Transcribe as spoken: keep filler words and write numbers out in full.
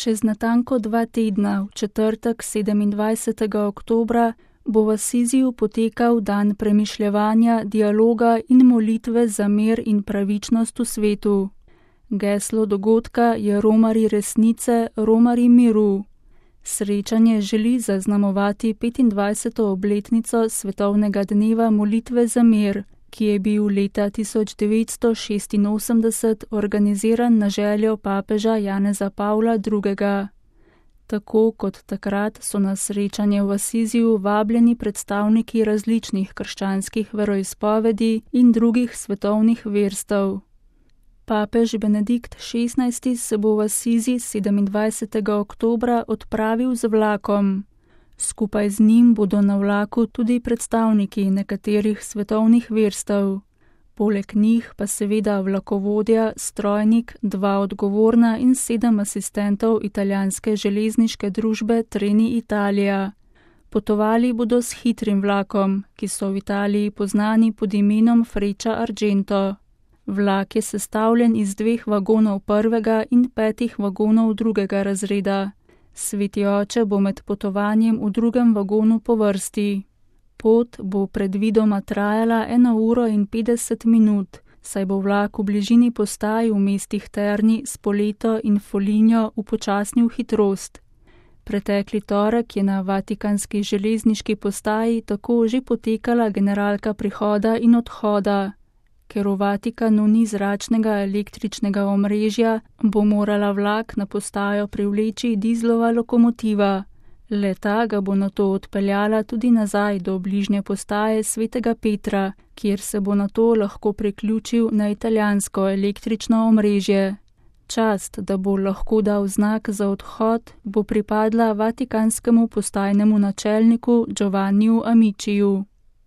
Čez natanko dva tedna, v četrtek sedemindvajsetega oktobra, bo v Asiziju potekal dan premišljevanja, dialoga in molitve za mir in pravičnost v svetu. Geslo dogodka je Romarji resnice, Romarji miru. Srečanje želi zaznamovati petindvajseto obletnico svetovnega dneva molitve za mir, ki je bil leta tisoč devetsto šestinosemdeset organiziran na željo papeža Janeza Pavla drugega. Tako kot takrat so na srečanje v Asiziju vabljeni predstavniki različnih krščanskih veroizpovedi in drugih svetovnih verstev. Papež Benedikt šestnajsti se bo v Asizi sedemindvajsetega oktobra odpravil z vlakom. Skupaj z njim bodo na vlaku tudi predstavniki nekaterih svetovnih verstev. Poleg njih pa seveda vlakovodja, strojnik, dva odgovorna in sedem asistentov italijanske železniške družbe Treni Italija. Potovali bodo s hitrim vlakom, ki so v Italiji poznani pod imenom Freccia Argento. Vlak je sestavljen iz dveh vagonov prvega in petih vagonov drugega razreda. Sveti oče bo med potovanjem v drugem vagonu po vrsti. Pot bo predvidoma trajala eno uro in petdeset minut, saj bo vlak v bližini postaj v mestih Terni, Spoleto in Foligno upočasnil hitrost. Pretekli torek je na vatikanski železniški postaji tako že potekala generalka prihoda in odhoda. Ker v Vatikanu ni zračnega električnega omrežja, bo morala vlak na postajo privleči dizlova lokomotiva. Le-ta ga bo nato odpeljala tudi nazaj do bližnje postaje Svetega Petra, kjer se bo nato lahko priključil na italijansko električno omrežje. Čast, da bo lahko dal znak za odhod, bo pripadla vatikanskemu postajnemu načelniku Giovanniju Amiciju.